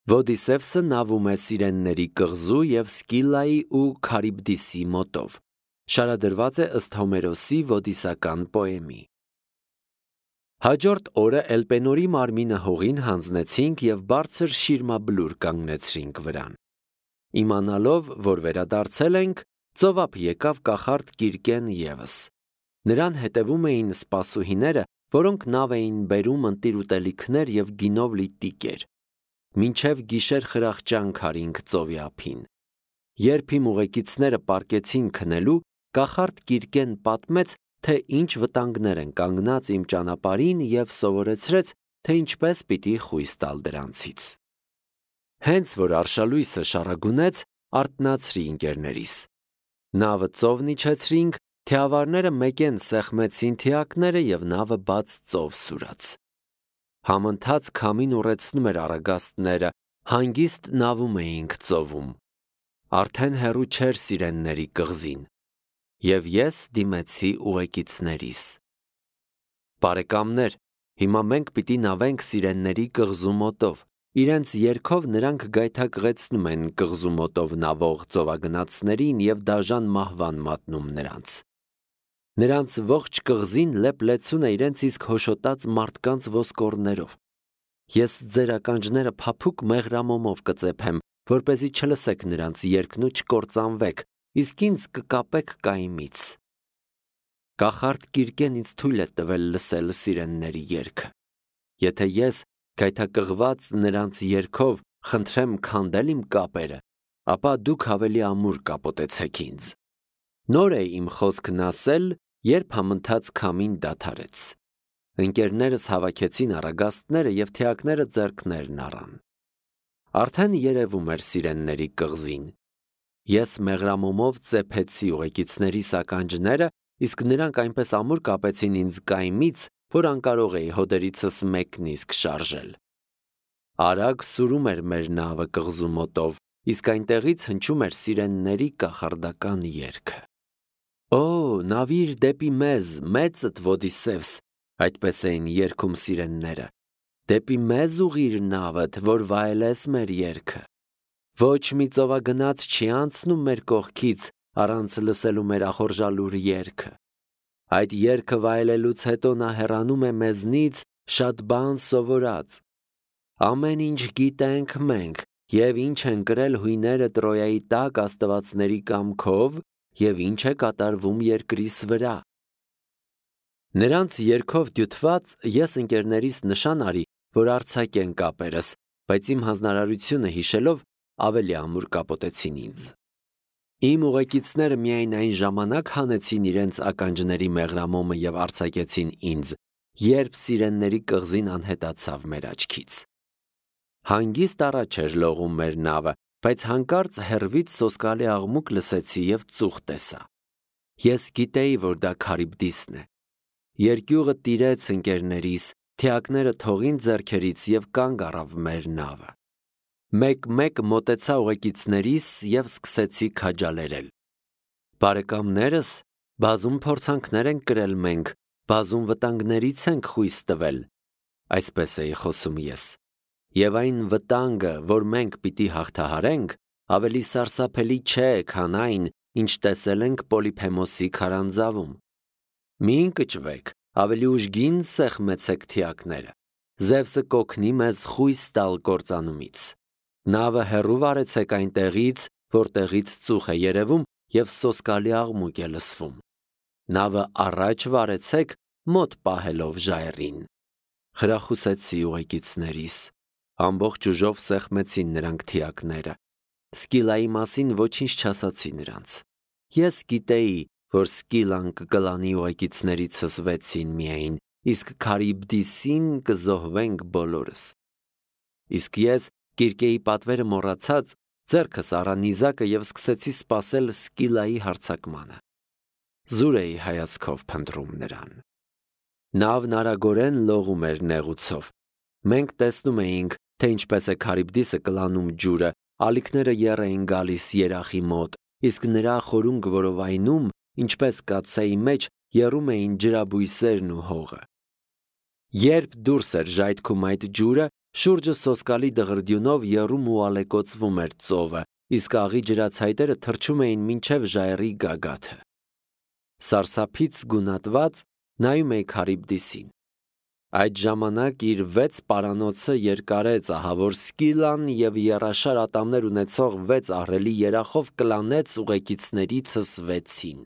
Ոդիսևսը նավում է Սիրենների կղզու և Սկիլայի ու Քարիբդիսի մոտով։ Շարադրված է ըստ Հոմերոսի ոդիսական պոեմի։ Հաջորդ օրը Էլպենորի մարմինը հողին հանձնեցինք և բարձր շիրմաբլուր կանգնեցրինք վրան։ Իմանալով, որ վերադարձել ենք, ծովափ եկավ կախարդ Կիրկեն ևս։ Նրան հետևում էին սպասուհիները, որոնք նավ էին բերում ընտիր ուտելիքներ և գինով լի տիկեր։ Մինչև գիշեր խրախճանք արինք ծովի ափին։ Երբ իմ ուղեկիցները պառկեցին քնելու, կախարդ Կիրկեն պատմեց, թե ինչ վտանգներ են կանգնած իմ ճանապարհին և սովորեցրեց, թե ինչպես պիտի խույս տալ դրանցից։ Հենց որ արշալույսը շառագունեց, արթնացրի ընկերներիս։ Նավը ծովն իջեցրինք, թիավարները մեկեն սեղմեցին թիակները և նավը բաց ծով սուրաց։ Համընթաց քամին ուռեցնում էր առագաստները, հանգիստ նավում էինք ծովում։ Արդեն հեռու չէր Սիրենների կղզին։ Եվ ես դիմեցի ուղեկիցներիս. Բարեկամներ, հիմա մենք պիտի նավենք Սիրենների կղզու մոտով։ Իրենց երգով նրանք գայթակղեցնում են կղզու մոտով նավող ծովագնացներին և դաժան մահվան մատնում նրանց։ Նրանց ողջ կղզին լեփ-լեցուն է իրենց իսկ հոշոտած մարդկանց ոսկորներով։ Ես ձեր ականջները փափուկ մեղրամոմով կծեփեմ, որպեսզի չլսեք նրանց երգն ու չկործանվեք, իսկ ինձ կկապեք կայմից։ Կախարդ Կիրկեն ինձ թույլ է տվել լսել Սիրենների երգը։ Եթե ես, գայթակղված նրանց երգով, խնդրեմ քանդել իմ կապերը, ապա դուք ավելի ամուր կապոտեցեք ինձ։ Նոր է իմ խոսքն ասել, երբ համընթաց քամին դադարեց։ Ընկերներս հավաքեցին առագաստները և թիակները ձեռքներն առան։ Արդեն երևում էր Սիրենների կղզին։ Ես մեղրամոմով ծեփեցի ուղեկիցներիս ականջները, իսկ նրանք այնպես ամուր կապեցին ինձ կայմից, որ անկարող էի հոդերիցս մեկն իսկ շարժել։ Արագ սուրում էր մեր նավը կղզու մոտով, իսկ այնտեղից հնչում էր Սիրենների կախարդական երգը։ Օ, նավիր դեպի մեզ, մեծդ Ոդիսևս, այդպես էին երգում Սիրենները։ Դեպի մեզ ուղիր նավդ, որ վայելես մեր երգը։ Ոչ մի ծովագնաց չի անցնում մեր կողքից, առանց լսելու մեր ախորժալուր երգը։ Այդ երգը վայելելուց հետո նա հեռանում է մեզնից շատ բան սովորած։ Ամեն ինչ գիտենք մենք, և ինչ են կրել հույները Տրոյայի տակ աստվածների կամքով, և ինչ է կատարվում երկրիս վրա։ Նրանց երգով դյութված ես ընկերներիս նշան արի, որ արձակեն կապերս, բայց իմ հանձնարարությունը հիշելով ավելի ամուր կապոտեցին ինձ։ Իմ ուղեկիցները միայն այն ժամանակ հանեցին իրենց ականջների մեղրամոմը և արձակեցին ինձ, երբ Սիրենների կղզին անհետացավ մեր աչքից։ Հանգիստ առաջ էր լողում մեր նավը, բայց հանկարծ հեռվից սոսկալի աղմուկ լսեցի և ծուխ տեսա։ Ես գիտեի, որ դա Քարիբդիսն է։ Երկյուղը տիրեց ընկերներիս, թիակները թողին ձեռքերից և կանգ առավ մեր նավը։ Մեկ-մեկ մոտեցա ուղեկիցներիս և սկսեցի քաջալերել։ Բարեկամներս, բազում փորձանքներ ենք կրել մենք, բազում վտանգներից ենք խույս տվել, այսպես էի խոսում ես։ Եվ այն վտանգը, որ մենք պիտի հաղթահարենք, ավելի սարսափելի չէ, քան այն, ինչ տեսել ենք Պոլիփեմոսի քարանձավում։ Մի ընկճվեք, ավելի ուժգին սեղմեցեք թիակները։ Զևսը կօգնի մեզ խույս տալ կործանումից։ Նավը հեռու վարեցեք այնտեղից, որտեղից ծուխ է երևում և սոսկալի աղմուկ է լսվում։ Նավը առաջ վարեցեք, մոտ պահելով ժայռին։ Խրախուսեցի ուղեկիցներիս։ Ամբողջ ուժով սեղմեցին նրանք թիակները։ Սկիլայի մասին ոչինչ չասացի նրանց։ Ես գիտեի, որ Սկիլան կկլանի ուղեկիցներիցս 6-ին միայն, իսկ Քարիբդիսին կզոհվենք բոլորս։ Իսկ ես, Կիրկեի պատվերը մոռացած, ձեռքս առա նիզակը և սկսեցի սպասել Սկիլայի հարձակմանը։ Զուր էի հայացքով փնտրում նրան։ Նավն արագորեն լողում էր նեղուցով։ Մենք տեսնում էինք, թե ինչպես է Քարիբդիսը կլանում ջուրը, ալիքները եռ էին գալիս երախի մոտ, իսկ նրա խորունգ որովայնում, ինչպես կաթսայի մեջ, եռում էին ջրաբույսերն ու հողը։ Երբ դուրս էր ժայթքում այդ ջուրը, Շուրջը սոսկալի դղրդյունով եռում ու ալեկոծվում էր ծովը, իսկ աղի ջրացայտերը թռչում էին մինչև ժայռի գագաթը։ Սարսափից գունատված նայում էի Քարիբդիսին։ Այդ ժամանակ իր 6 պարանոցը երկարեց ահավոր Սկիլան և եռաշար ատամներ ունեցող 6 ահռելի երախով կլանեց ուղեկիցներիցս 6-ին։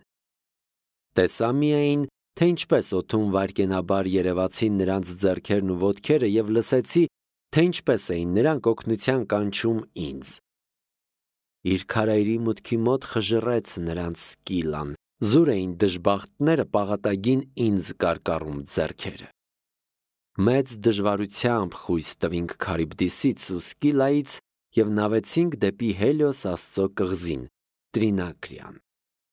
Տեսա միայն, թե ինչպես օդում վայրկենաբար երևացին նրանց ձեռքերն ու ոտքերը և լսեցի, թե ինչպես էին նրանք օգնության կանչում ինձ։ Իր քարայրի մուտքի մոտ խժռեց նրանց Սկիլան, զուր էին դժբախտները պաղատագին ինձ կարկառում ձեռքերը։ Մեծ դժվարությամբ խույս տվինք Քարիբդիսից ու Սկիլայից և նավեցինք դեպի Հելիոս Աստծո կղզին, Տրինակրիան։